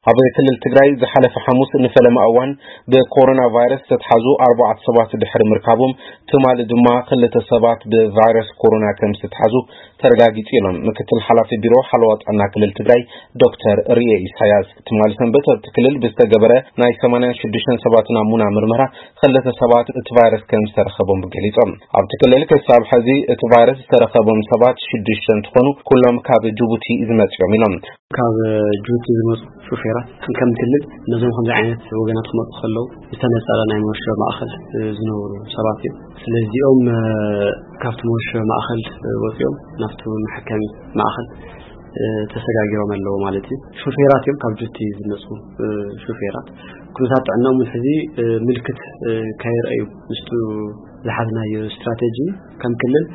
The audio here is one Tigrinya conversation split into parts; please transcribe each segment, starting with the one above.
ኣብ ክልል ትግራይ ዝሓለፈ ሓሙስ ንፈለማ እዋን ብኮሮና ቫይረስ ዝተትሓዙ ኣርባዕተ ሰባት ድሕሪ ምርካቦም፣ ትማሊ ድማ ክልተ ሰባት ብቫይረስ ኮሮና ከም ዝተትሓዙ ተረጋጊጹ ኢሎም ምክትል ሓላፊ ቢሮ ሓለዋ ጥዕና ክልል ትግራይ ዶክተር ርኤ ኢሳያስ። ትማሊ ሰንበት ኣብቲ ክልል ብዝተገበረ ናይ ሰማንያን ሽዱሽተን ሰባት ናሙና ምርመራ ክልተ ሰባት እቲ ቫይረስ ከም ዝተረኸቦም ገሊጾም። ኣብቲ ክልል ክሳብ ሕዚ እቲ ቫይረስ ዝተረኸቦም ሰባት ሽዱሽተ እንትኾኑ፣ ኩሎም ካብ ጅቡቲ ዝመጽኦም ኢሎም። ካብ ጅቡቲ ዝመጹ ሹፌራት ከም ክልል ነዞም ከምዚ ዓይነት ወገናት ክመጹ ከለዉ ዝተነጸረ ናይ መወሸቢ ማእኸል ዝነብሩ ሰባት እዮም። ስለዚኦም ካብቲ መወሸቢ ማእኸል ወጺኦም ናብቲ መሐከሚ ማእኸል ተሰጋጊሮም ኣለዉ ማለት እዩ። ሹፌራት እዮም፣ ካብ ጅቡቲ ዝመጹ ሹፌራት። ኩነታት ጥዕናኦም እውን ሕዚ ምልክት ከይረኣዩ ምስቱ ዝሓዝናዮ ስትራቴጂ ከም ክልል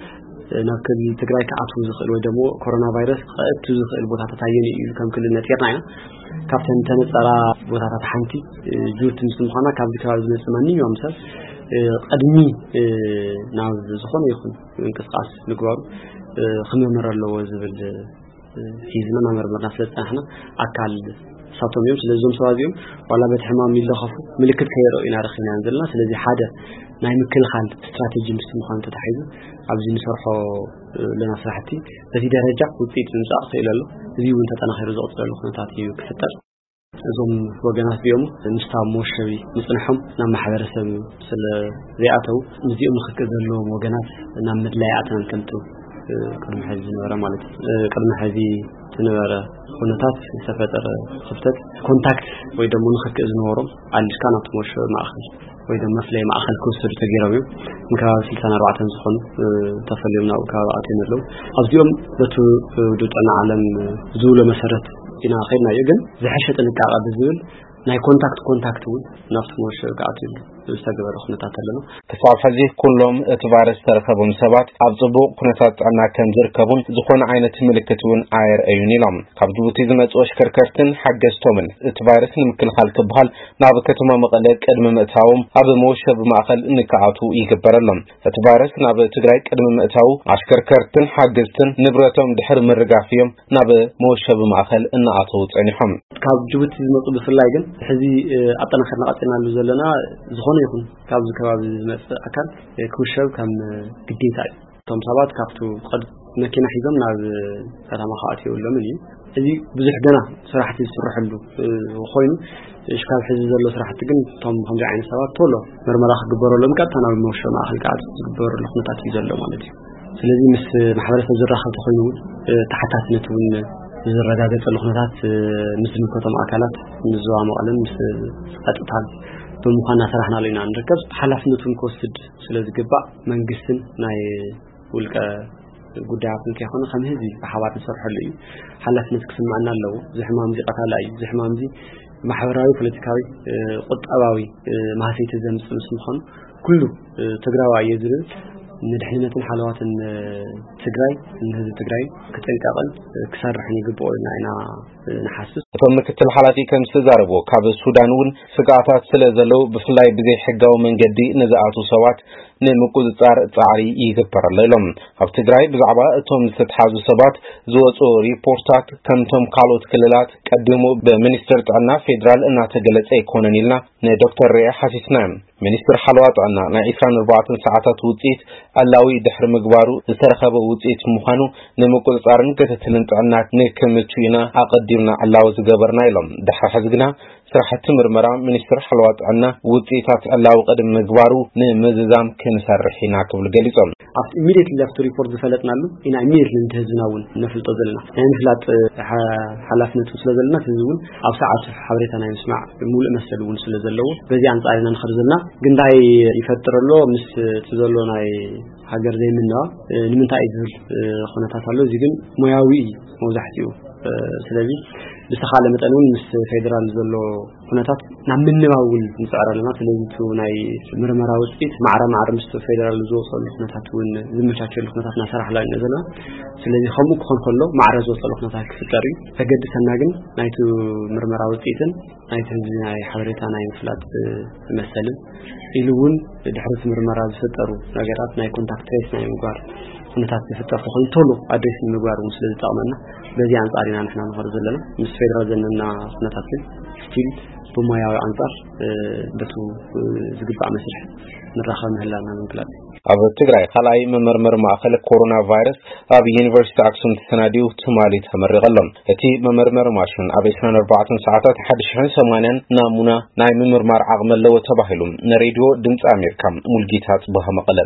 ናብ ክልል ትግራይ ክኣትዉ ዝኽእል ወይ ደግሞ ኮሮና ቫይረስ ከእቱ ዝኽእል ቦታታት ኣየን እዩ ኢሉ ከም ክልል ነፂርና ኢና። ካብተን ተነፀራ ቦታታት ሓንቲ ጅቡቲ ምስ ምዃና ካብዚ ከባቢ ዝመፅእ ማንኛውም ሰብ ቅድሚ ናብ ዝኾነ ይኹን ምንቅስቃስ ምግባሩ ክምርመር ኣለዎ ዝብል ሒዝና እናመርመርና ስለ ዝፀናሕና ኣካል ሳቶም እዮም። ስለዚ እዞም ሰባት እዚኦም ዋላ በቲ ሕማም ይለኸፉ ምልክት ከየረኡ ኢና ረኺብናዮም ዘለና። ስለዚ ሓደ ናይ ምክልኻል ስትራቴጂ ምስቲ ምዃኑ ተታሒዙ ኣብዚ ንሰርሖ ኣለና ስራሕቲ በዚ ደረጃ ውፅኢት ምምፃእ ክኽእል ኣሎ። እዚ እውን ተጠናኺሩ ዝቕፅለሉ ኩነታት እዩ ክፍጠር። እዞም ወገናት እዚኦም ምስታ መወሸቢ ምፅንሖም ናብ ማሕበረሰብ ስለ ዘይኣተው ምስዚኦም ንክክእ ዘለዎም ወገናት ናብ ምድላይ ኣተናን ከምጥው ቅድሚ ሕዚ ዝነበረ ማለት እዩ። ቅድሚ ሕዚ ዝነበረ ኩነታት ዝተፈጠረ ክፍተት ኮንታክት ወይ ደሞ ንክክእ ዝነበሮም ኣልካ ናብቲ መወሸቢ ማእኸል ወይ ደሞ መፍለይ ማእኸል ክወሰዱ ተገይሮም እዮም። ንከባቢ ስልሳን ኣርባዕተን ዝኾኑ ተፈልዮም ናብኡ ከባቢ ኣትዮም ኣለዉ። ኣብዚኦም በቲ ውድብ ጥዕና ዓለም ዝብሎ መሰረት ኢና ከይድናዮ፣ ግን ዝሐሸ ጥንቃቐ ብዝብል ናይ ኮንታክት ኮንታክት እውን ናብቲ መወሸቢ ክኣትዩ ዝተገበረ ኩነታት ኣለና። ክሳብ ሕዚ ኩሎም እቲ ቫይረስ ዝተረከቦም ሰባት ኣብ ጽቡቕ ኩነታት ጥዕና ከም ዝርከቡን ዝኾነ ዓይነት ምልክት እውን ኣየርእዩን ኢሎም። ካብ ጅቡቲ ዝመጹ ኣሽከርከርትን ሓገዝቶምን እቲ ቫይረስ ንምክልኻል ክበሃል ናብ ከተማ መቐለ ቅድሚ ምእታዎም ኣብ መወሸቢ ማእኸል ንክኣትዉ ይግበረሎም። እቲ ቫይረስ ናብ ትግራይ ቅድሚ ምእታዉ ኣሽከርከርትን ሓገዝትን ንብረቶም ድሕሪ ምርጋፍ እዮም ናብ መወሸቢ ማእኸል እናኣተዉ ጸኒሖም። ካብ ጅቡቲ ዝመጹ ብፍላይ ግን ሕዚ ኣጠናኺርና ቀጺልናሉ ዘለና ዝኾነ ይኹን ካብዚ ከባቢ ዝመጽእ ኣካል ክውሸብ ከም ግዴታ እዩ። እቶም ሰባት ካብቱ ቅድ- መኪና ሒዞም ናብ ከተማ ክኣትዩ የብሎምን እዩ። እዚ ብዙሕ ገና ስራሕቲ ዝስርሐሉ ኮይኑ፣ እሽ ካብ ሕዚ ዘሎ ስራሕቲ ግን እቶም ከምዚ ዓይነት ሰባት ቶሎ ምርመራ ክግበረሎም ቀጥታ ናብ መወሸቢ ማእኸል ክኣትዩ ዝግበረሉ ኩነታት እዩ ዘሎ ማለት እዩ። ስለዚ ምስ ማሕበረሰብ ዝራኸብ ተኾይኑ እውን ተሓታትነት እውን ዝረጋገፀሉ ኩነታት ምስ ዝምልከቶም ኣካላት ምስ ዞባ መቐለን ምስ ፀጥታን ብምዃን እናሰራሕናሉ ኢና ንርከብ። ሓላፍነቱን ክወስድ ስለ ዝግባእ መንግስትን ናይ ውልቀ ጉዳያት እንተይኮነ ከም ህዝቢ ብሓባር ንሰርሐሉ እዩ። ሓላፍነት ክስምዐና ኣለዎ። እዚ ሕማም እዚ ቀታላ እዩ። እዚ ሕማም እዚ ማሕበራዊ፣ ፖለቲካዊ፣ ቁጠባዊ ማህሰይቲ ዘምፅእ ምስ ምዃኑ ኩሉ ትግራዊ እየ ዝብል ንድሕንነትን ሓለዋትን ትግራይ ንህዝቢ ትግራይ ክጥንቀቕን ክሰርሕን ይግብኦ ኢልና ኢና ንሓስብ። እቶም ምክትል ሓላፊ ከም ዝተዛረብዎ ካብ ሱዳን እውን ስግኣታት ስለ ዘለዉ ብፍላይ ብዘይ ሕጋዊ መንገዲ ንዝኣትዉ ሰባት ንምቁፅፃር ፃዕሪ ይግበር ኣሎ ኢሎም። ኣብ ትግራይ ብዛዕባ እቶም ዝተትሓዙ ሰባት ዝወፁ ሪፖርታት ከምቶም ካልኦት ክልላት ቀዲሙ ብሚኒስትር ጥዕና ፌዴራል እናተገለፀ ኣይኮነን ኢልና ንዶክተር ርኤ ሓቲትና። ሚኒስትር ሓለዋ ጥዕና ናይ ዒስራን ኣርባዕተን ሰዓታት ውፅኢት ዕላዊ ድሕሪ ምግባሩ ዝተረኸበ ውፅኢት ምዃኑ ንምቁፅፃርን ክትትልን ጥዕና ንክምቹ ኢና ኣቐዲምና ዕላዊ ዝገበርና ኢሎም። ድሕሪ ሕዚ ግና ስራሕቲ ምርመራ ሚኒስትር ሓለዋ ጥዕና ውፅኢታት ዕላዊ ቅድሚ ምግባሩ ንምዝዛም ክንሰርሕ ኢና ክብሉ ገሊፆም። ኣብቲ ኢሚዲየትሊ ኣብቲ ሪፖርት ዝፈለጥናሉ ኢና ኢሚዲየትሊ ንህዝብና እውን ነፍልጦ ዘለና ናይ ምፍላጥ ሓላፍነት ስለ ዘለና ህዝቢ እውን ኣብ ሰዓቱ ሓበሬታ ናይ ምስማዕ ሙሉእ መሰል እውን ስለ ዘለዎ በዚ ኣንፃር ኢና ንኸድ ዘለና። ግን እንታይ ይፈጥር ኣሎ ምስ እቲ ዘሎ ናይ ሃገር ዘይምንዋ ንምንታይ እዩ ዝብል ኩነታት ኣሎ። እዚ ግን ሞያዊ እዩ መብዛሕትኡ። ስለዚ ብዝተኻለ መጠን እውን ምስ ፌደራል ዘሎ ኩነታት ናብ ምንባብ እውን ንፅዕር ኣለና። ስለዚ እቲ ናይ ምርመራ ውፅኢት ማዕረ ማዕረ ምስ ፌደራል ዝወፀሉ ኩነታት እውን ዝመቻቸሉ ኩነታት እናሰራሕና ኢና ዘለና። ስለዚ ከምኡ ክኾን ከሎ ማዕረ ዝወፀሉ ኩነታት ክፍጠር እዩ። ዘገድሰና ግን ናይቲ ምርመራ ውፅኢትን ናይቲ ህዝቢ ናይ ሓበሬታ ናይ ምፍላጥ መሰልን ኢሉ እውን ድሕሪ እቲ ምርመራ ዝፍጠሩ ነገራት ናይ ኮንታክት ትሬስ ናይ ምግባር ኩነታት ዝፍጠር ተኾይኑ ቶሎ ኣድሬስ ንምግባር እውን ስለ ዝጠቕመና፣ በዚ ኣንጻር ኢና ንሕና ንኸዶ ዘለና። ምስ ፌደራል ዘለና ኩነታት ግን ስቲል ብሞያዊ ኣንጻር በቱ ዝግባእ መስርሕ ንራኸብ ምህላና ምግላጽ። ኣብ ትግራይ ካልኣይ መመርመሪ ማእኸል ኮሮና ቫይረስ ኣብ ዩኒቨርሲቲ ኣክሱም ተሰናዲኡ ትማሊ ተመሪቐ ኣሎ። እቲ መመርመሪ ማሽን ኣብ ዕስራን ኣርባዕተን ሰዓታት ሓደ ሽሕን ሰማንያን ናሙና ናይ ምምርማር ዓቕሚ ኣለዎ ተባሂሉ። ንሬድዮ ድምፂ ኣሜሪካ ሙልጌታ ጽቡሃ መቐለ።